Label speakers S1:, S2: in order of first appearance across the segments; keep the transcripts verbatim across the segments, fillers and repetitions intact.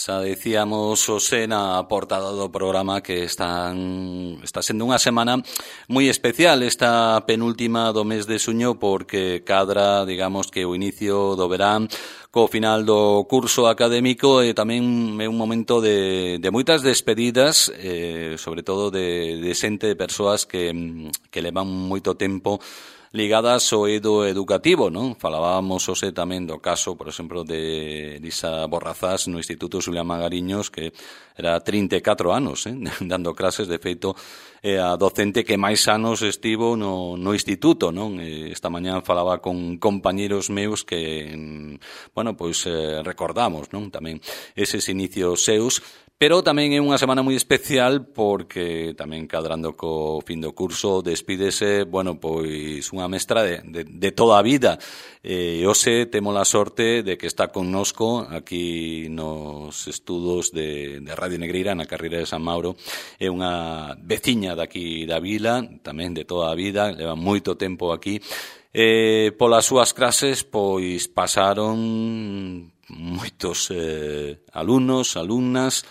S1: Xa dicíamos Xosé na portada do programa que están, está sendo unha semana moi especial esta penúltima do mes de xuño porque cadra, digamos, que o inicio do verán co final do curso académico e tamén é un momento de, de moitas despedidas, eh, sobre todo de, de xente, de persoas que, que levan moito tempo ligadas ao eido educativo, non? Falábamos hoxe tamén do caso, por exemplo, de Elisa Borrazás no Instituto Xulián Magariños, que era trinta e catro anos, eh, dando clases, de feito, é a docente que máis anos estivo no, no instituto, non? E esta mañá falaba con compañeros meus que, bueno, pois eh, recordamos, non? Tamén eses inicios seus. Pero tamén é unha semana moi especial porque tamén cadrando co fin do curso despídese, bueno, pois unha mestra de, de, de toda a vida. E hoxe temos a sorte de que está connosco aquí nos estudos de, de Radio Negreira na carreira de San Mauro. É unha veciña daqui da vila, tamén de toda a vida, leva moito tempo aquí. E polas súas clases, pois pasaron moitos eh, alumnos, alumnas.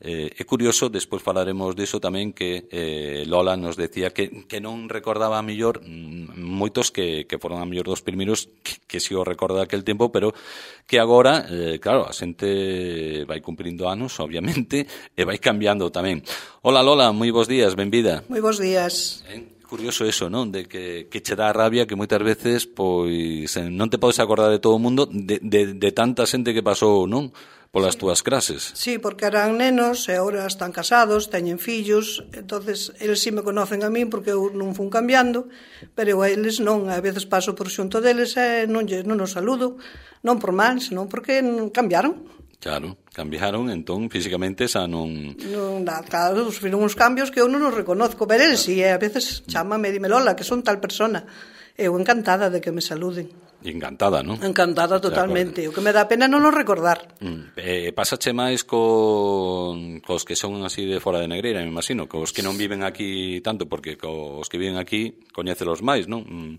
S1: Eh, é curioso, despois falaremos diso tamén, que eh, Lola nos decía que, que non recordaba a mellor moitos que, que foron a mellor dos primeiros que, que si o recorda aquel tempo, pero que agora, eh, claro, a xente vai cumprindo anos, obviamente, e vai cambiando tamén. Hola Lola, moi bons días, benvida.
S2: Moi bons días.
S1: Eh? Curioso eso, non? De que, que che dá rabia que moitas veces pois non te podes acordar de todo o mundo de, de, de tanta xente que pasou, non? Polas túas clases.
S2: Sí, porque eran nenos e agora están casados, teñen fillos, entonces eles sí me conocen a min porque eu non fun cambiando, pero a eles non, a veces paso por xunto deles e non, non os saludo, non por mal, senón porque cambiaron.
S1: Claro, cambiaron, entón, físicamente xa non...
S2: Non, claro, sufriron uns cambios que eu non os reconozco, pero eles sí, a veces chámame e dime, Lola, que son tal persona. Eu encantada de que me saluden.
S1: Encantada, non?
S2: Encantada totalmente. O que me dá pena non o recordar.
S1: Mm. Eh, pásache máis con cos que son así de fora de Negreira, me imagino, cos que non viven aquí tanto, porque cos que viven aquí coñécelos máis, non? Mm.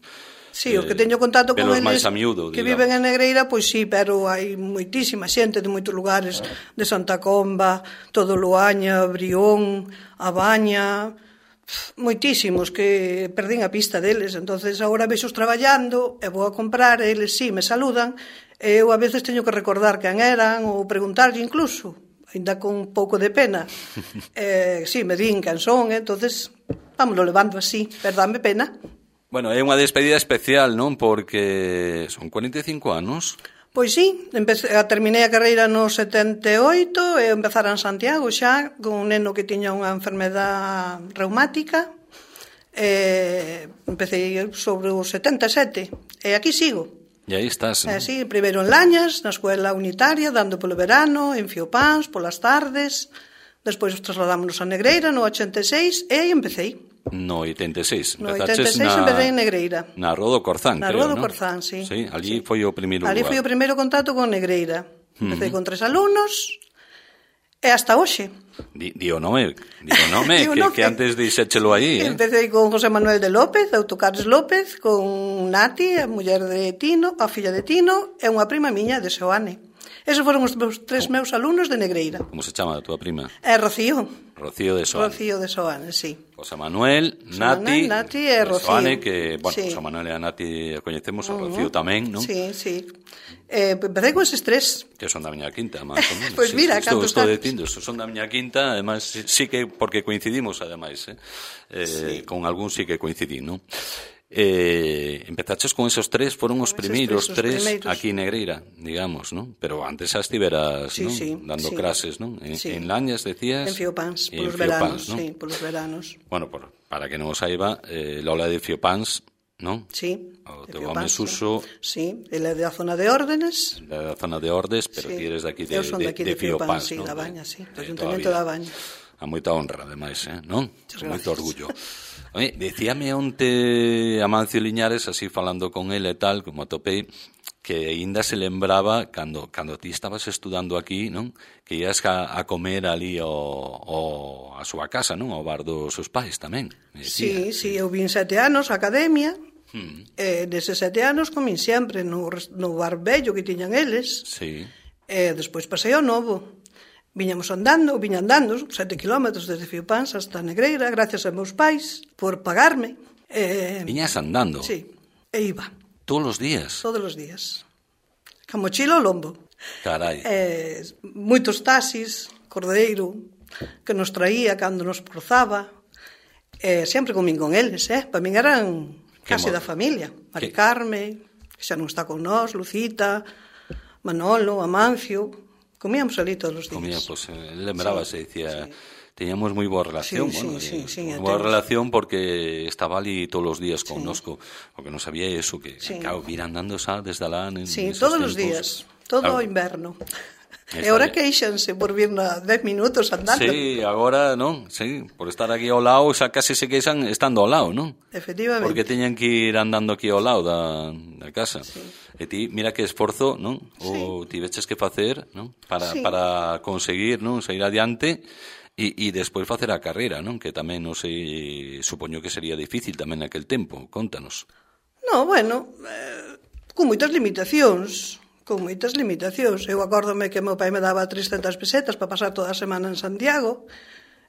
S2: Sí, os que teño contacto con eles
S1: miúdo,
S2: que viven en Negreira, pois sí, pero hai moitísima xente de moitos lugares, de Santa Comba, todo Loaña, Brión, A Baña, moitísimos que perdín a pista deles. Entonces agora vexos traballando e vou a comprar e eles sí me saludan e eu a veces teño que recordar quen eran ou preguntarlle incluso, ainda con un pouco de pena. eh, sí, me din quen son, entonces vámoslo levando así, pero dame pena.
S1: Bueno, é unha despedida especial, non? Porque son cuarenta e cinco anos.
S2: Pois sí, empecé, terminei a carreira no setenta e oito e empezara en Santiago xa con un neno que tiña unha enfermedad reumática. E empecé sobre os setenta e sete e aquí sigo.
S1: E aí estás,
S2: non? E sí, primeiro en Lañas, na escuela unitaria, dando polo verano, en Fiopans, polas tardes. Despois trasladámonos a Negreira no ochenta e seis e aí empecei.
S1: No oitenta e seis.
S2: No oitenta e seis empecé en Negreira.
S1: Na Rua do Corzán,
S2: na
S1: creo,
S2: Rua do
S1: ¿no?
S2: Corzán, sí.
S1: Sí, allí sí. Foi o primeiro
S2: allí
S1: lugar.
S2: foi o primeiro contacto con Negreira. Empecé uh -huh. con tres alumnos e hasta hoxe.
S1: Di, di o nome, di o nome, que, que antes dixéchelo aí, eh?
S2: Empecé con José Manuel de López, Autocares López, con Nati, a muller de Tino, a filla de Tino, e unha prima miña de Xoane. Esos foron os meus, tres meus alumnos de Negreira.
S1: Como se chama a túa prima?
S2: É Rocío.
S1: Rocío de Soane.
S2: Rocío de Soane, sí.
S1: José Manuel, Nati,
S2: Manuel, Nati e Rocío.
S1: Soane, que, bueno,
S2: sí.
S1: José Manuel e a Nati a coñecemos, a Rocío uh -huh. tamén, non?
S2: Sí, sí. Eh, empecé con eses tres.
S1: Que son da miña quinta, máis ou menos.
S2: Pois pues mira,
S1: sí,
S2: cantos
S1: estou dicindo, son da miña quinta, además, sí que, porque coincidimos, ademais, eh? eh sí. Con algún sí que coincidí, non? Eh, empezaches con esos tres, foron os primeiros tres, tres aquí en Negreira, digamos, ¿no? Pero antes xa estiveras,
S2: sí,
S1: ¿no?
S2: Sí,
S1: dando
S2: sí.
S1: clases, ¿no? En,
S2: sí.
S1: en Lañas, decías.
S2: En Fiopans, polos veranos, ¿no? Sí, polos veranos.
S1: Bueno, por, para que non o saiba, eh, Lola de Fiopans, ¿no?
S2: Sí.
S1: O teu home Suso.
S2: Sí, ele é da zona de Órdenes.
S1: Da zona de Ordes, pero sí. Ti eres daqui de,
S2: Eu son daqui
S1: de,
S2: de, de
S1: Fiopans,
S2: sí,
S1: ¿no?
S2: da Baña, sí, do Ayuntamiento da Baña.
S1: A moita honra, ademais, eh? Non? Con moito orgullo. Oye, decíame onte Amancio Liñares, así falando con ele e tal, como atopei, que aínda se lembraba cando cando ti estabas estudando aquí, non? Que ias a, a comer ali o, o a súa casa, non? Ao bar dos seus pais tamén.
S2: Sí, sí, eu vin sete anos a academia. Hmm. E deses sete anos comín sempre no, no bar bello que tiñan eles.
S1: Sí.
S2: E despois pasei ao novo. Viñamos andando, viña andando, sete kilómetros desde Fiopans hasta Negreira, gracias a meus pais por pagarme.
S1: Eh, Viñas andando?
S2: Sí, e iba.
S1: Todos os días?
S2: Todos os días. Ca mochila ao lombo.
S1: Carai.
S2: Eh, moitos taxis, cordeiro, que nos traía cando nos cruzaba. Eh, sempre comín con eles, eh? Para min eran case da familia. Mari Carme, que xa non está con nós, Lucita, Manolo, Amancio... Comíamos ali todos os días.
S1: Comía, pues, lembrábase, sí, dicía, sí. Teníamos moi boa relación,
S2: sí,
S1: bueno,
S2: sí, sí, sí,
S1: boa relación porque estaba ali todos os días connosco, sí. Porque non sabía eso, que,
S2: sí.
S1: Claro, vir andando xa desde alá. En,
S2: sí, todos os días, todo o claro. Inverno. E agora queixanse por vir na dez minutos andando.
S1: Sí, agora, non? Sí, por estar aquí ao lado, xa case se queixan estando ao lado, non?
S2: Efectivamente.
S1: Porque teñan que ir andando aquí ao lado da, da casa. Sí. E ti, mira que esforzo, non? O sí. Tiveches que facer, non? Para, sí. para conseguir, non? Sair adiante e, e despois facer a carreira, non? Que tamén, non sei, supoño que sería difícil tamén naquel tempo. Contanos.
S2: No, bueno, eh, con moitas limitacións. Con moitas limitacións. Eu acórdome que meu pai me daba trescentas pesetas para pasar toda a semana en Santiago,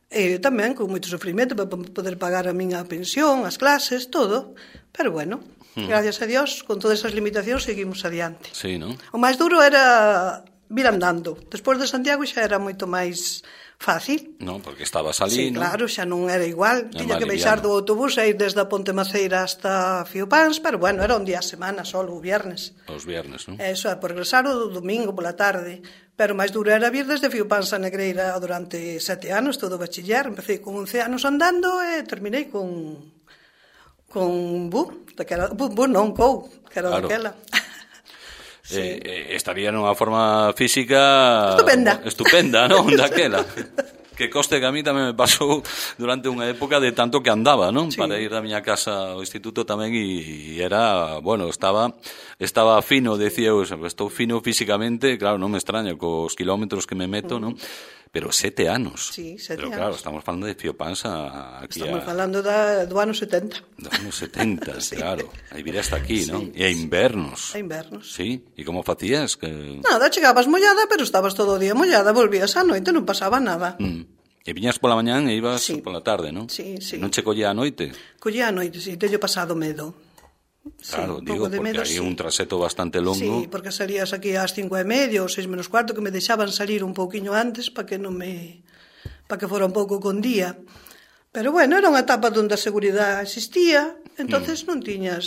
S2: e tamén con moito sofrimento para poder pagar a miña pensión, as clases, todo. Pero bueno, hmm. gracias a Dios, con todas esas limitacións seguimos adiante.
S1: Sí, non?
S2: O máis duro era vir andando. Despois de Santiago xa era moito máis fácil.
S1: Non, porque estabas ali,
S2: sí,
S1: non?
S2: Claro, xa non era igual. É Tiña que baixar do autobús e ir desde a Ponte Maceira hasta Fiopans, pero bueno, era un día a semana solo, o viernes.
S1: Os viernes, non?
S2: Eso, por regresar o domingo pola tarde. Pero máis duro era vir desde Fiopans a Negreira durante sete anos, todo o bachiller. Empecé con once anos andando e terminei con con bu, daquela, bu, bu non, cou, que era claro. Daquela.
S1: Sí. Eh, estaría nunha forma física
S2: estupenda,
S1: estupenda, non? Daquela. Que coste que a mí tamén me pasou durante unha época de tanto que andaba, non? Sí. Para ir da miña casa ao instituto tamén e, e era, bueno, estaba estaba fino, decía eu, estou fino físicamente, claro, non me extraña cos kilómetros que me meto, mm. non? Pero sete anos.
S2: Sí, sete
S1: Pero,
S2: anos.
S1: claro, estamos falando de Fiopans aquí
S2: Estamos
S1: a...
S2: falando da, do ano setenta.
S1: Do ano setenta, sí. Claro. Aí vir hasta aquí,
S2: sí,
S1: non? E a invernos.
S2: A invernos.
S1: Sí, e como facías? Que...
S2: Nada, chegabas mollada, pero estabas todo o día mollada, volvías á noite, non pasaba nada.
S1: Mm. E viñas pola mañán e ibas
S2: sí.
S1: pola tarde, non?
S2: Sí, sí.
S1: Non che collía a noite?
S2: Collía a noite, sí, teño pasado medo.
S1: Claro,
S2: sí,
S1: digo, porque
S2: medo,
S1: hai
S2: sí.
S1: un traseto bastante longo.
S2: Sí, porque salías aquí ás cinco e media ou seis menos cuarto, que me deixaban salir un pouquiño antes para que non me... para que fora un pouco con día. Pero bueno, era unha etapa onde a seguridade existía, entonces mm. non tiñas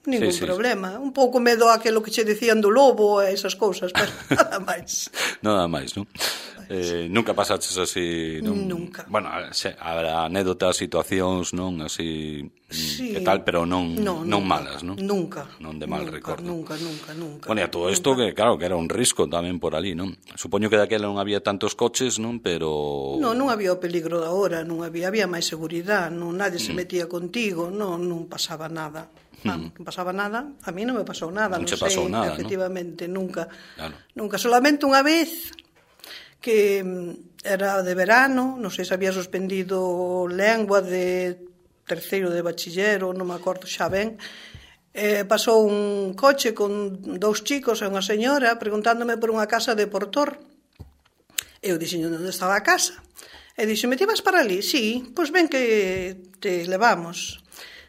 S2: ningún sí, sí, problema. Sí. Un pouco medo a aquilo que che dicían do lobo e esas cousas, pero nada máis.
S1: Nada máis, non? Eh, nunca pasaches así, non?
S2: Nunca.
S1: Bueno, habrá anécdotas, situacións, non? Así,
S2: sí.
S1: que tal, pero non,
S2: no,
S1: non
S2: nunca,
S1: malas, non?
S2: Nunca.
S1: Non de mal
S2: nunca,
S1: recordo.
S2: Nunca, nunca, nunca.
S1: Bueno, e a todo isto que, claro, que era un risco tamén por ali, non? Supoño que daquela non había tantos coches, non? Pero...
S2: Non, non había o peligro da hora, non había, había máis seguridade, non, nadie se metía contigo, non, non pasaba nada. Non, non pasaba nada, a mí non me pasou nada, non, non sei, pasou nada, efectivamente, ¿no? Nunca. Claro. Nunca, solamente unha vez que era de verano, non sei se había suspendido lengua de terceiro de bachillero, non me acordo xa ben, eh, pasou un coche con dous chicos e unha señora preguntándome por unha casa de Portor. Eu dixen onde estaba a casa. E dixen, me ti vas para ali? Sí, pois ben que te levamos.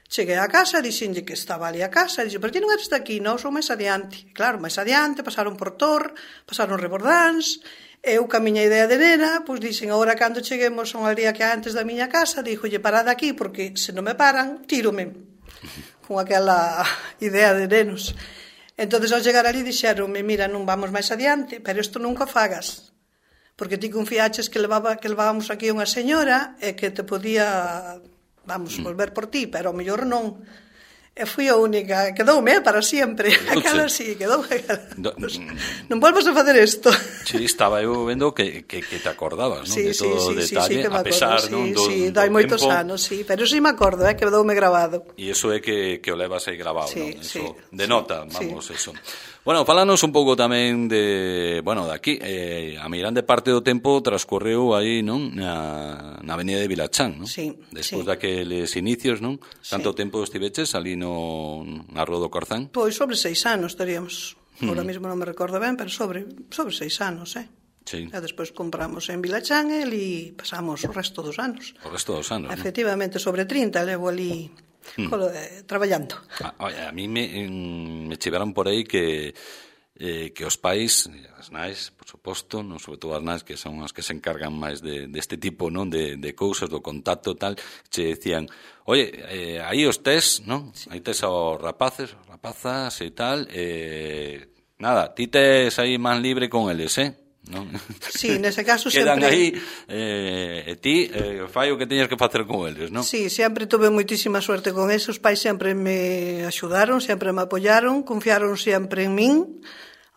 S2: Cheguei á casa, dixenlle que estaba ali a casa, e dixen, pero ti non eres daqui, non, son máis adiante. Claro, máis adiante, pasaron por Tor, pasaron Rebordáns, eu ca miña idea de nena, pois dixen, agora cando cheguemos a unha aldea que antes da miña casa, díjolle, parad aquí, porque se non me paran, tírome, con aquela idea de nenos. Entonces, ao chegar ali, dixeronme, mira, non vamos máis adiante, pero isto nunca fagas, porque ti confiaches que levaba, que levábamos aquí unha señora e que te podía... vamos, volver por ti, pero ao mellor non. E fui a única, quedoume para sempre. Aquela sí, quedoume. Do, non volvas a facer isto.
S1: Sí, estaba eu vendo que, que, que te acordabas, non?
S2: Sí,
S1: de todo
S2: sí,
S1: o
S2: sí,
S1: detalle,
S2: sí, sí,
S1: a pesar,
S2: sí,
S1: non? Do,
S2: sí,
S1: do
S2: dai moitos
S1: tempo.
S2: anos, sí, pero sí me acordo, eh, quedoume grabado.
S1: E iso é que, que o levas aí grabado,
S2: sí,
S1: non?
S2: Sí,
S1: eso denota,
S2: sí,
S1: vamos,
S2: sí.
S1: eso. Bueno, falanos un pouco tamén de, bueno, de aquí, eh, a mi grande parte do tempo transcorreu aí, non? Na, na avenida de Vilachán, non?
S2: Sí,
S1: despois
S2: sí.
S1: daqueles inicios, non? Tanto
S2: sí.
S1: tempo estiveches ali no, na Rua do Corzán?
S2: Pois sobre seis anos teríamos. Ahora hmm. mismo non me recordo ben, pero sobre, sobre seis anos, eh?
S1: Sí.
S2: E despois compramos en Vilachán e ali pasamos o resto dos anos.
S1: O resto dos anos,
S2: efectivamente, ¿no? Sobre trinta levo ali hmm. colo, eh, traballando.
S1: Ah, oye, a mí me, en, me chivaron por aí que eh, que os pais, as nais, por suposto, non, sobre todo as nais que son as que se encargan máis de, de este tipo, non, de, de cousas, do contacto tal, che decían, oye, eh, aí os tes, non? Sí. Aí tes aos rapaces, rapazas e tal, eh, nada, ti tes aí man libre con eles, eh? Non?
S2: Sí, nese caso
S1: quedan
S2: sempre...
S1: aí eh, e ti eh, fai o que teñas que facer con eles, non?
S2: Sí, sempre tuve moitísima suerte con eso. Os pais sempre me axudaron, sempre me apoyaron, confiaron sempre en min.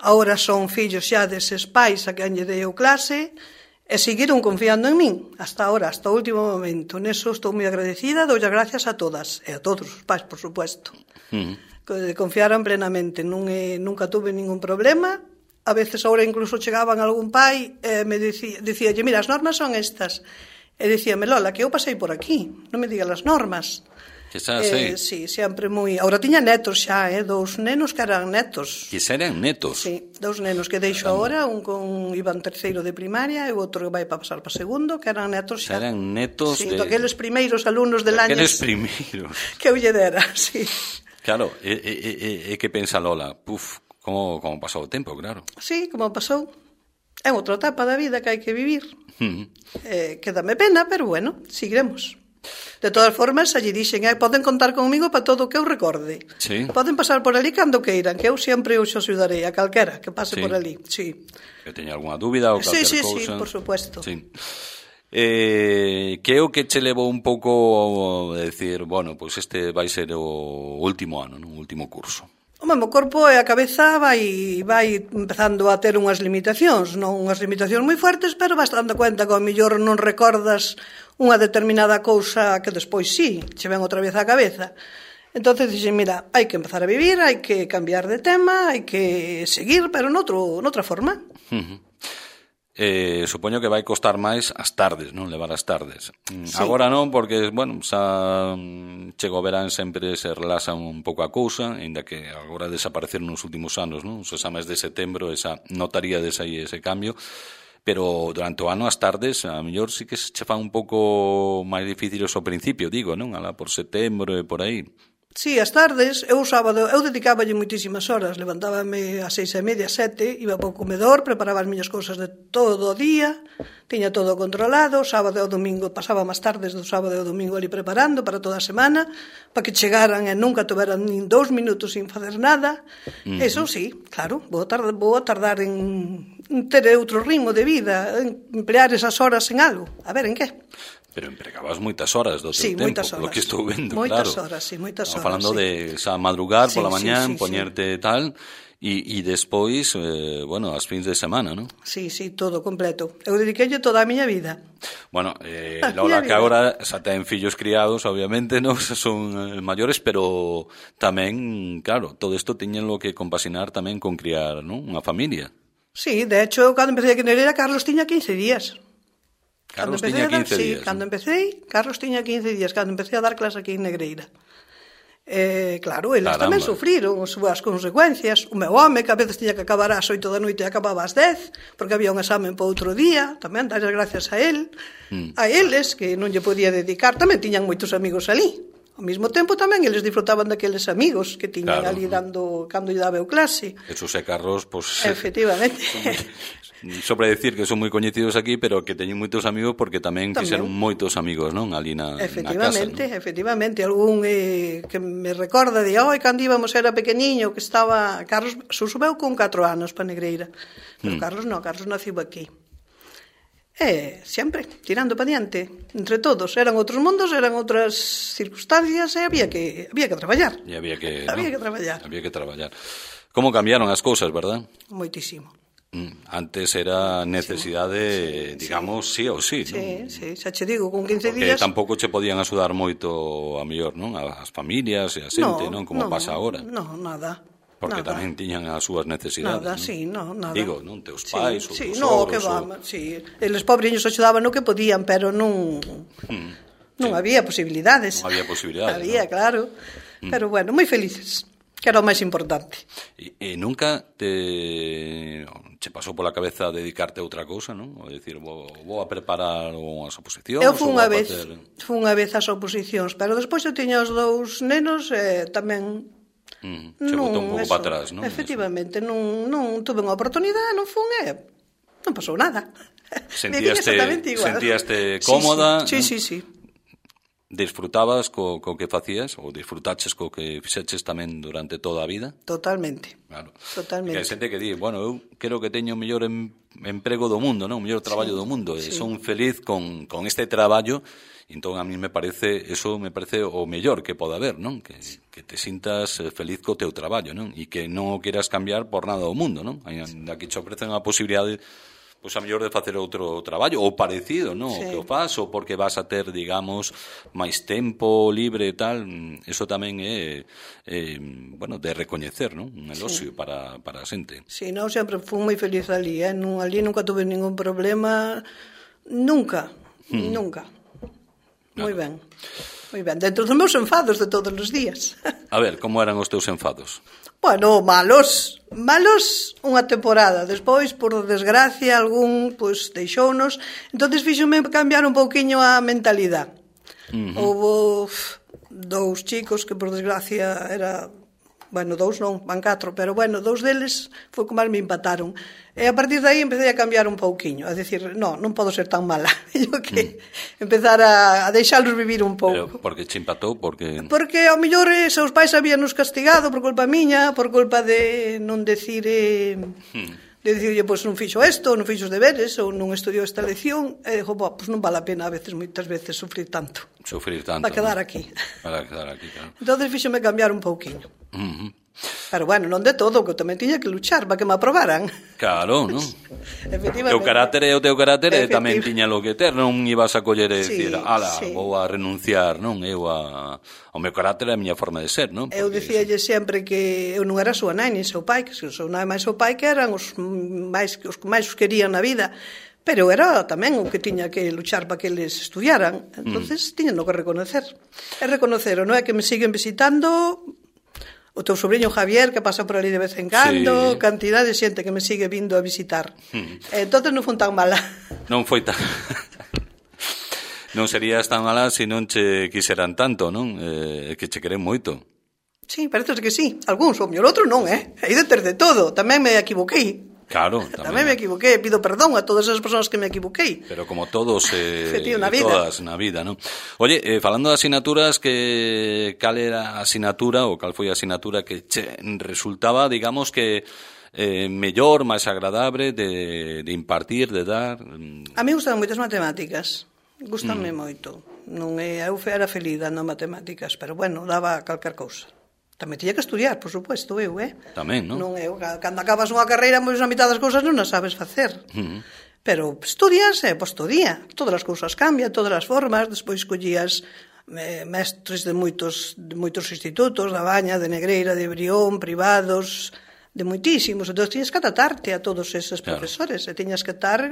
S2: Ahora son fillos xa deses pais a quen lle dei o clase e seguiron confiando en min hasta ahora, hasta o último momento. Neso estou moi agradecida, dou as gracias a todas e a todos os pais, por supuesto. Uh-huh. Confiaron plenamente, non é, nunca tuve ningún problema. A veces ahora incluso chegaban algún pai e me dicía, dicíalle, mira, as normas son estas. E dicíame, Lola, que eu pasei por aquí, non me digas as normas.
S1: Que xa sei.
S2: Eh, sí, sempre moi... Ahora tiña netos xa, eh, dous nenos que eran netos.
S1: Que eran netos?
S2: Sí, dous nenos que deixo agora, un con Iván terceiro de primaria e o outro que vai para pasar para segundo, que eran netos xa.
S1: Eran netos
S2: sí,
S1: de...
S2: daqueles primeiros alumnos de Lañas.
S1: Daqueles primeiros.
S2: Que eu lle dera, sí.
S1: Claro, e, e, e, e que pensa Lola? Puf, como, como pasou o tempo, claro.
S2: Sí, como pasou. É outra etapa da vida que hai que vivir.
S1: Uh-huh.
S2: Eh, quédame pena, pero bueno, seguiremos. De todas formas, allí dixen, eh, poden contar conmigo para todo o que eu recorde.
S1: Sí.
S2: Poden pasar por ali cando queiran, que eu sempre os axudarei a calquera que pase
S1: sí.
S2: por ali. Sí.
S1: Que teña algunha dúbida ou calquer
S2: sí, sí,
S1: cousa.
S2: Sí, por supuesto.
S1: Sí. Eh, que é o que che levou un pouco a decir, bueno, pois pues este vai ser o último ano, non? O último curso.
S2: O mesmo corpo e a cabeza vai, vai empezando a ter unhas limitacións, non unhas limitacións moi fuertes, pero vas dando cuenta que ao mellor non recordas unha determinada cousa que despois sí, che ven outra vez á cabeza. Entonces dixen, mira, hai que empezar a vivir, hai que cambiar de tema, hai que seguir, pero noutro, noutra forma.
S1: Uh-huh. Eh, supoño que vai costar máis as tardes, non? Levar as tardes.
S2: Sí.
S1: Agora non, porque, bueno, xa chego o verán, sempre se relaxa un pouco a cousa, ainda que agora desapareceron nos últimos anos, non? Os exames de setembro, esa notaríades aí ese cambio, pero durante o ano as tardes, a mellor sí que se che fan un pouco máis difíciles ao principio, digo, non? Alá por setembro e por aí.
S2: Sí, as tardes, eu sábado, eu dedicáballe moitísimas horas, levantábame ás seis e media, sete, iba para o comedor, preparaba as miñas cousas de todo o día, tiña todo controlado, sábado e o domingo, pasaba máis tardes do sábado e o domingo ali preparando para toda a semana, para que chegaran e nunca tuveran nin dous minutos sin facer nada. Uh-huh. Eso sí, claro, vou tardar, vou tardar en ter outro ritmo de vida, en emplear esas horas en algo, a ver en que.
S1: Pero empregabas moitas horas do teu
S2: sí,
S1: tempo, polo que estou vendo,
S2: moitas
S1: claro.
S2: Horas, sí, moitas
S1: Estamos
S2: horas,
S1: falando
S2: sí.
S1: de xa madrugar
S2: sí,
S1: pola mañán,
S2: sí, sí,
S1: poñerte
S2: sí.
S1: tal, e, e despois, eh, bueno, as fins de semana, non?
S2: Sí, sí, todo completo. Eu dediqueille toda a miña vida.
S1: Bueno, eh, Lola, que agora xa ten fillos criados, obviamente, non son eh, maiores, pero tamén, claro, todo isto tiñenlo que compasinar tamén con criar, non? Unha familia.
S2: Sí, de hecho, cando empecé aquí en Negreira, Carlos tiña quince días.
S1: Carlos tiña quince
S2: sí,
S1: días.
S2: Cando empecé, Carlos tiña quince días, cando empecé a dar clase aquí en Negreira. Eh, claro, eles
S1: Caramba.
S2: tamén sufriron as súas consecuencias. O meu home, que a veces tiña que acabar ás oito da noite e acababa ás dez, porque había un examen para outro día, tamén dar as gracias a él. Mm. A eles, que non lle podía dedicar, tamén tiñan moitos amigos ali. Ao mesmo tempo tamén eles disfrutaban daqueles amigos que tiñan
S1: claro.
S2: ali dando cando lle daba eu clase.
S1: Eso se Carlos, pues,
S2: efectivamente.
S1: Sobre decir que son moi coñecidos aquí, pero que teñen moitos amigos porque tamén, tamén. fixeron moitos amigos, non? Ali na,
S2: efectivamente,
S1: na casa, non?
S2: Efectivamente, algún eh, que me recorda de, oi, cando íbamos era pequeniño, que estaba Carlos, susubeu con catro anos para Negreira. Pero hmm. Carlos non, Carlos naciu aquí. E sempre, tirando para diante, entre todos, eran outros mundos, eran outras circunstancias e había que había que traballar.
S1: E había que,
S2: había
S1: no,
S2: que traballar.
S1: Había que traballar. Como cambiaron as cousas, verdad?
S2: Moitísimo.
S1: Antes era necesidade, sí, digamos, sí, sí ou sí,
S2: sí,
S1: non?
S2: Sí, xa che digo, con quince
S1: porque
S2: días...
S1: Porque tampouco che podían axudar moito a mellor, non? As familias e a xente, non? Como
S2: no,
S1: pasa agora.
S2: Non, nada.
S1: Porque
S2: nada.
S1: Tamén tiñan as súas necesidades,
S2: nada,
S1: non?
S2: sí, no, nada.
S1: Digo, non? Teus pais,
S2: sí,
S1: ou
S2: sí,
S1: teus
S2: no,
S1: sogros...
S2: que va,
S1: ou...
S2: sí. Eles pobriños axudaban no que podían, pero non... Hmm. Non sí. había posibilidades.
S1: Non había posibilidades,
S2: Había,
S1: non?
S2: claro.
S1: Hmm.
S2: Pero bueno, moi felices. que era o máis importante.
S1: E, e nunca te che pasou pola cabeza dedicarte a outra cousa, non? O decir, vou, vou a preparar unhas oposicións...
S2: Eu fui unha vez,
S1: facer...
S2: fui unha vez ás oposicións, pero despois eu tiña os dous nenos e tamén...
S1: Mm, che botou un pouco para atrás, non?
S2: Efectivamente, non, non tuve unha oportunidade, non fun e non pasou nada.
S1: Sentíaste, sentíaste cómoda?
S2: Sí, sí, sí. sí.
S1: Disfrutabas co, co que facías ou disfrutaches co que fixeches tamén durante toda a vida?
S2: Totalmente.
S1: Claro.
S2: Totalmente.
S1: Que hai xente que di, bueno, eu quero que teño o mellor em, emprego do mundo, non? O mellor traballo sí, do mundo, e sí. son feliz con, con este traballo, e entón a mí me parece, eso me parece o mellor que pode haber, non? Que, que te sintas feliz co teu traballo, non? E que non o quieras cambiar por nada do mundo, non? Aquí te ofrecen a posibilidade pois a mellor de facer outro traballo ou parecido, non? Sí. O que o faz, ou porque vas a ter, digamos, máis tempo libre e tal, eso tamén é, é bueno, de recoñecer, non? Un elosio sí. para, para a xente.
S2: Sí, non, sempre fui moi feliz ali, eh? Non, ali nunca tuve ningún problema, nunca, hmm. nunca. Moi ben, moi ben. Dentro dos meus enfados de todos os días.
S1: A ver, como eran os teus enfados?
S2: Bueno, malos, malos unha temporada. Despois, por desgracia, algún pois deixounos. Entonces fíxome cambiar un pouquiño a mentalidade. Uh-huh. Houve dous chicos que, por desgracia, era... Bueno, dous non, van catro, pero bueno, dous deles foi como máis me empataron. E a partir de aí empecé a cambiar un pouquiño, a decir, no, non podo ser tan mala. Eu que mm. empezar a, a deixalos vivir un pouco.
S1: Pero porque che empatou? Porque
S2: Porque ao mellor eh, seus pais habíanos castigado por culpa miña, por culpa de non decir... Eh, mm. de dicirlle, pois non fixo isto, non fixo os deberes, ou non estudiou esta lección, e dixo, pois non vale a pena a veces, moitas veces, sufrir tanto.
S1: Sufrir tanto.
S2: Para quedar
S1: ¿no?
S2: aquí.
S1: Para quedar aquí, claro.
S2: Entón, fíxome cambiar un pouquiño.
S1: Uh-huh.
S2: Pero bueno, non de todo, que eu tamén tiña que luchar para que me aprobaran.
S1: Claro, non?
S2: Efectivamente.
S1: O carácter é o teu carácter e tamén tiña lo que ter, non ibas a coller e
S2: sí,
S1: decir, ala,
S2: sí.
S1: vou a renunciar, non? Eu a... O meu carácter é a miña forma de ser, non? Porque
S2: eu dicíalle eso... sempre que eu non era súa nai, nin seu pai, que o seu nai máis seu pai que eran os máis os que máis os querían na vida. Pero era tamén o que tiña que luchar para que eles estudiaran. Entonces, mm. tiñan que reconocer. E reconocer, non é que me siguen visitando... O teu sobrinho Javier, que pasa por ali de vez en cando, sí. Cantidad de xente que me sigue vindo a visitar. Hmm. Entón non foi tan mala.
S1: Non foi tan... non serías tan mala se non che quiseran tanto, non? Eh, que che queren moito.
S2: Sí, parece que sí. Algúns, o mellor outro non, eh? Aí de ter de todo. Tamén me equivoquei.
S1: Claro, tamén.
S2: Tamén me equivoquei, pido perdón a todas as persoas que me equivoquei.
S1: Pero como todos eh, na todas na vida, non? Oye, eh, falando de asignaturas, que cal era a asignatura ou cal foi a asignatura que che resultaba, digamos que eh, mellor, máis agradable de, de impartir, de dar?
S2: A mí gustan moitas matemáticas. Gustanme mm. moito. Non é, eu era feliz dando matemáticas, pero bueno, daba calquer cousa. Tamén tiña que estudiar, por suposto, eu, eh?
S1: Tamén, non?
S2: Non eu, cando acabas unha carreira, pois a mitad das cousas non as sabes facer. Uh-huh. Pero estudias, eh, pois todía. Todas as cousas cambian, todas as formas, despois collías eh, mestres de moitos, de moitos institutos, da Baña, de Negreira, de Brión, privados, de moitísimos. Entón, tiñas que adaptarte a todos eses claro. profesores, e tiñas que tar,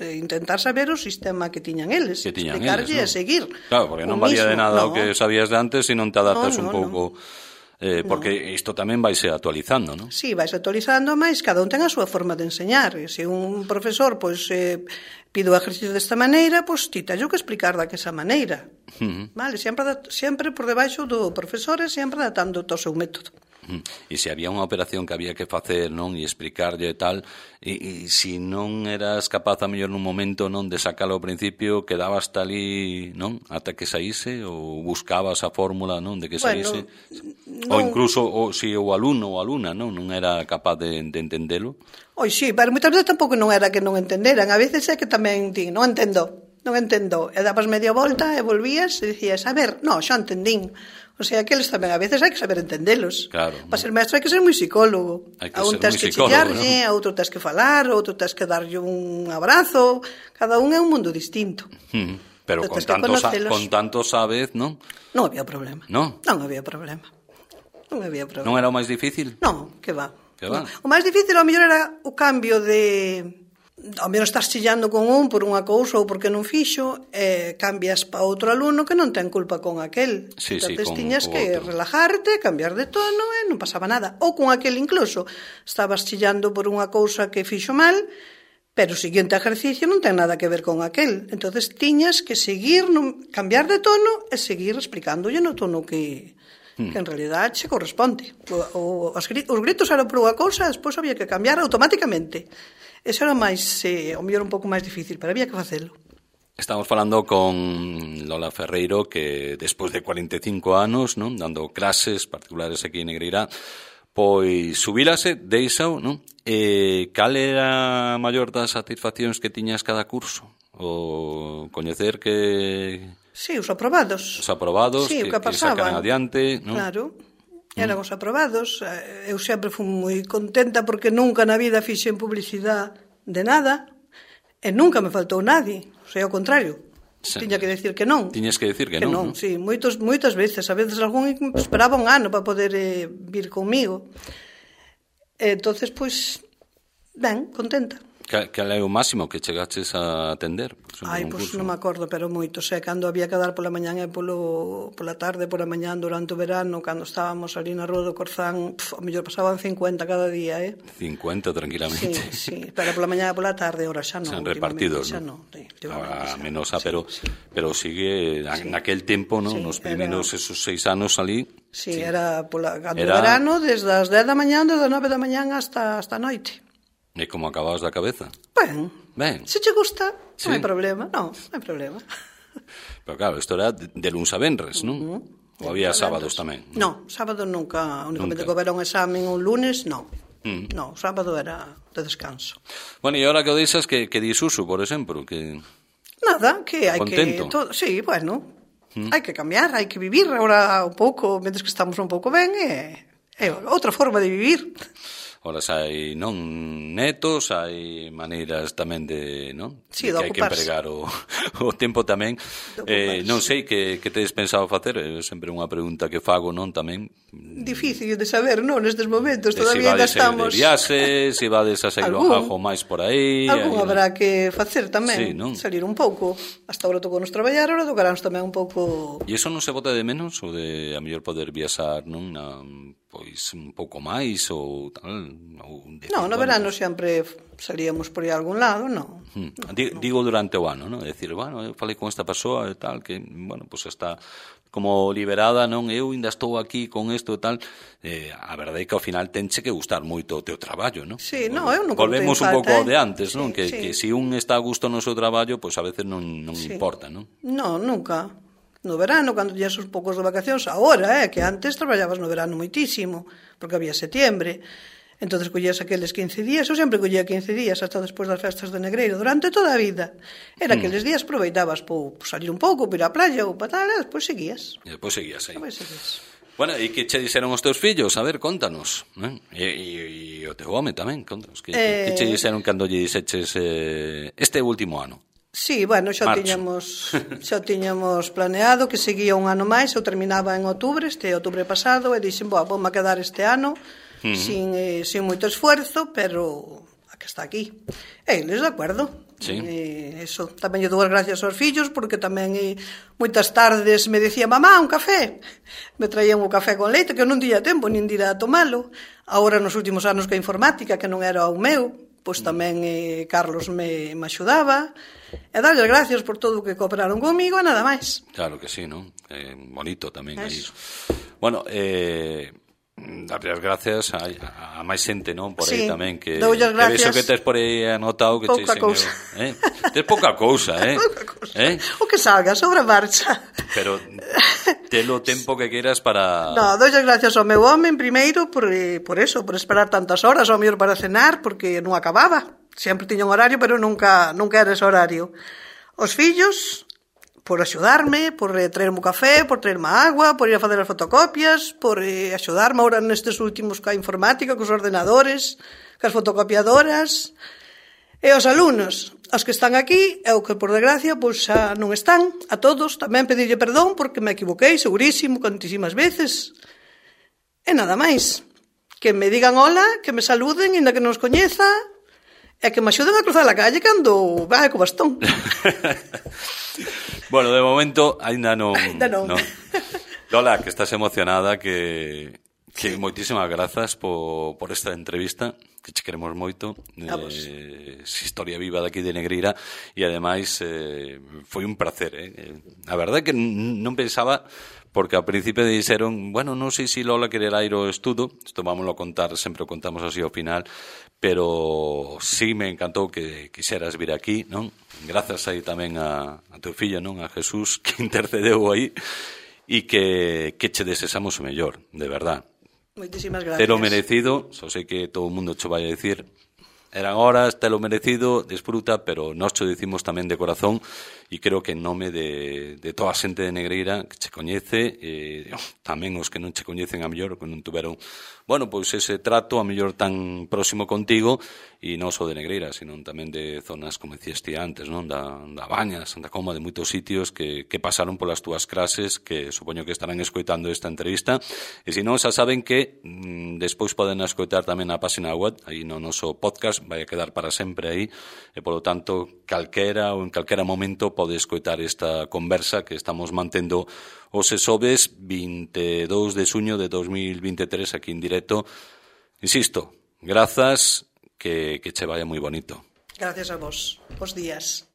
S2: eh, intentar saber o sistema que tiñan eles,
S1: que tiñan
S2: explicarlle
S1: eles,
S2: e seguir.
S1: Claro, porque non valía de nada no. o que sabías de antes se non te adaptas no, no, un pouco... No. Eh, porque no. isto tamén vaise actualizando, non?
S2: Sí, vaise actualizando, mas cada un ten a súa forma de enseñar. E se un profesor pois eh, pide o exercicio desta maneira, pois ti tallo que explicar daquesa maneira. Uh-huh. Vale, sempre, sempre por debaixo do profesor e sempre adaptando o seu método.
S1: Uh-huh. E se había unha operación que había que facer, non, e explicarlle e tal, e, e se non eras capaz a mellor nun momento, non, de sacalo ao principio, quedabas hasta ali, non, ata que saíse, ou buscabas a fórmula, non, de que saíse, bueno, ou incluso o, se o alumno ou alumna, non, non era capaz de, de entendelo.
S2: Oi, sí, pero moitas veces tampouco non era que non entenderan, a veces é que tamén ti, non entendo, non entendo, e dabas media volta e volvías e dicías, a ver, no, xa entendín. O sea, que eles tamén a veces hai que saber entendelos.
S1: Claro.
S2: Para ser maestro hai que ser moi psicólogo.
S1: Hai que
S2: a un
S1: ser
S2: tes
S1: moi
S2: que
S1: psicólogo,
S2: chillarlle,
S1: ¿no?
S2: a outro tes que falar, a outro tes que darlle un abrazo. Cada un é un mundo distinto.
S1: Hmm. Pero con tanto, sa- con tanto sabes, non?
S2: Non había problema.
S1: Non?
S2: Non había problema. Non había problema.
S1: Non era o máis difícil?
S2: Non, que va.
S1: Que va?
S2: O máis difícil ao mellor era o cambio de ao menos estás chillando con un por unha cousa ou porque non fixo, e cambias pa outro alumno que non ten culpa con aquel.
S1: Sí,
S2: entonces
S1: sí, con,
S2: tiñas
S1: con
S2: que
S1: outro.
S2: relajarte, cambiar de tono e non pasaba nada. Ou con aquel incluso, estabas chillando por unha cousa que fixo mal, pero o seguinte exercicio non ten nada que ver con aquel. Entonces tiñas que seguir, non, cambiar de tono e seguir explicándolle no tono que, hmm. que en realidad se corresponde. O, o, os, os gritos eran por unha cousa, despois había que cambiar automáticamente. Eso era máis, eh, o mellor un pouco máis difícil, pero había que facelo.
S1: Estamos falando con Lola Ferreiro, que despois de cuarenta e cinco anos, non, dando clases particulares aquí en Negreira, pois subírase, deixao, non? E cal era a maior das satisfaccións que tiñas cada curso? O coñecer que...
S2: Sí, os aprobados.
S1: Os aprobados,
S2: sí,
S1: que,
S2: que,
S1: que sacan adiante, non?
S2: Claro. Eran os aprobados. Eu sempre fui moi contenta porque nunca na vida fixen publicidade de nada e nunca me faltou nadie. O sea, ao contrario, sí. Tiña que decir que non.
S1: Tiñas que decir que,
S2: que
S1: non,
S2: non.
S1: non?
S2: Sí, moitos, moitas veces. A veces algún esperaba un ano para poder eh, vir comigo. E entonces, pois, ben, contenta.
S1: Cal é o máximo que chegaches a atender?
S2: Ai, pois non me acordo, pero moito. O sea, cando había que dar pola mañán e polo, pola tarde, pola mañán, durante o verano, cando estábamos ali na Rúa do Corzán, pf, ao mellor pasaban cincuenta cada día, eh?
S1: cincuenta, tranquilamente.
S2: Sí, sí, pero pola mañán e pola tarde, ahora xa non.
S1: Sen repartidos,
S2: xa
S1: non?
S2: Sí,
S1: a menos, sí, pero,
S2: sí.
S1: pero sigue, sí. Naquel tempo, non? Sí, nos primeiros era... esos seis anos ali...
S2: Sí, sí. era pola, cando
S1: era...
S2: verano, desde as dez da mañán, desde as nove da mañán hasta, hasta a noite.
S1: E como acababas da cabeza?
S2: Ben,
S1: ben.
S2: Se che gusta,
S1: sí.
S2: non hai problema, non, non hai problema.
S1: Pero claro, isto era de, de luns a venres, non? Uh -huh. Ou había sábados tamén?
S2: Non, no, sábado nunca, únicamente
S1: nunca.
S2: que houbera un examen un lunes, non.
S1: Mm.
S2: Non, sábado era de descanso.
S1: Bueno, e agora que o deixas, que, que disuso, por exemplo, que...
S2: Nada, que hai
S1: contento.
S2: que... Todo, sí, bueno, mm. hai que cambiar, hai que vivir agora un pouco, mentres que estamos un pouco ben, é, é outra forma de vivir.
S1: Ora, hai non netos, hai maneiras tamén de, non?
S2: Sí,
S1: de
S2: de
S1: que hai que empregar o, o tempo tamén. Eh, non sei que, que tedes pensado facer, é sempre unha pregunta que fago, non, tamén.
S2: Difícil de saber, non, nestes momentos,
S1: de
S2: todavía
S1: ainda
S2: estamos...
S1: de viaxe, se vades a sair o ajo máis por aí...
S2: Algún
S1: aí,
S2: habrá que facer tamén,
S1: sí, non?
S2: Salir un pouco. Hasta agora tocou nos traballar, agora tocaránnos tamén un pouco...
S1: E iso non se bota de menos, o de a mellor poder viaxar, non, na... pois un pouco máis ou tal, ou de
S2: non, no verano sempre salíamos por aí a algún lado, non.
S1: Hmm. Digo, digo durante o ano, non? É dicir, bueno, eu falei con esta persoa e tal que, bueno, pois pues está como liberada, non? Eu ainda estou aquí con isto e tal. Eh, a verdade é que ao final tenche que gustar moito o teu traballo, non?
S2: Sí, non, eu non
S1: volvemos un pouco ao de antes, non?
S2: Sí,
S1: que,
S2: sí.
S1: que si un está a gusto no seu traballo, pois pues a veces non, non
S2: sí.
S1: importa, non?
S2: Non, nunca. No verano, cando tiñas uns poucos de vacacións, agora, eh, que antes traballabas no verano moitísimo, porque había setiembre. Entonces collías aqueles quince días, eu sempre collía quince días hasta despois das festas de Negreiro, durante toda a vida. Era mm. aqueles días aproveitabas por salir un pouco, por ir á playa ou para tal, e despois seguías.
S1: E despois seguías aí.
S2: Despois seguías.
S1: Bueno, e que che dixeron os teus fillos? A ver, contanos. Eh? E, e, e o teu home tamén, contanos. Que, eh... que che dixeron cando lle dixeches eh, este último ano?
S2: Sí, bueno, xa
S1: Marcho.
S2: tiñamos xa tiñamos planeado que seguía un ano máis, eu terminaba en outubro, este outubro pasado, e dixen, boa, vou-me quedar este ano uh -huh. sin, eh, sin moito esfuerzo, pero a que está aquí. E eles de acordo.
S1: Sí.
S2: E, eso, tamén lle dou as gracias aos fillos, porque tamén eh, moitas tardes me decía, mamá, un café. Me traían un café con leite, que eu non tiña tempo nin de ir a tomalo. Agora, nos últimos anos que a informática, que non era o meu, pois tamén eh, Carlos me, me axudaba. E darles gracias por todo o que cooperaron comigo e nada máis.
S1: Claro que sí, non? Eh, bonito tamén aí. Bueno, eh, darles gracias a, a, a máis xente, non? Por aí sí, tamén que, que vexo que tes por aí anotado que
S2: pouca cousa.
S1: Eh? Tes pouca cousa, eh?
S2: Pouca cousa.
S1: Eh?
S2: O que salga, sobre a marcha.
S1: Pero telo tempo que queiras para...
S2: No, doy gracias ao meu home primeiro por, por eso, por esperar tantas horas ao mellor para cenar, porque non acababa. Sempre tiña un horario, pero nunca nunca era ese horario. Os fillos, por axudarme, por eh, traerme o café, por traerme a agua, por ir a facer as fotocopias, por eh, axudarme agora nestes últimos ca informática, cos ordenadores, cas fotocopiadoras. E os alumnos, os que están aquí, e o que por desgracia pois xa non están, a todos, tamén pedirlle perdón porque me equivoquei, segurísimo, cantísimas veces. E nada máis. Que me digan hola, que me saluden, inda que non os coñeza. É que me axuden a cruzar a calle cando vai co bastón.
S1: Bueno, de momento, ainda non...
S2: Ainda non.
S1: non. Lola, que estás emocionada, que... Que moitísimas grazas por, por esta entrevista, que che queremos moito, eh, historia viva daqui de Negreira, e ademais eh, foi un placer, eh? A verdade é que non pensaba, porque ao principio dixeron, bueno, non sei se Lola quererá ir ao estudo, isto vámoslo contar, sempre o contamos así ao final, pero sí me encantou que quixeras vir aquí, non? Grazas aí tamén a, a teu fillo, non? A Jesús, que intercedeu aí, e que, que che desexamos o mellor, de verdad.
S2: Moitísimas gracias.
S1: Te lo merecido, só sei que todo o mundo cho vai a dicir, eran horas, te lo merecido, disfruta, pero nós cho dicimos tamén de corazón, e creo que en nome de, de toda a xente de Negreira que che coñece, e tamén os que non che coñecen a mellor, que non tuveron, bueno, pois ese trato a mellor tan próximo contigo, e non só de Negreira, sino tamén de zonas, como dicías ti antes, non? Da, da Baña, Santa Comba, de moitos sitios que, que pasaron polas túas clases, que supoño que estarán escoitando esta entrevista, e se non, xa saben que mmm, despois poden escoitar tamén a página web, aí no noso podcast, vai a quedar para sempre aí, e polo tanto, calquera ou en calquera momento pode escoitar esta conversa que estamos mantendo os xoves vinte e dous de xuño de dos mil vinte e tres aquí en directo. Insisto, grazas, que, que che vaya moi bonito.
S2: Gracias a vos. Bos días.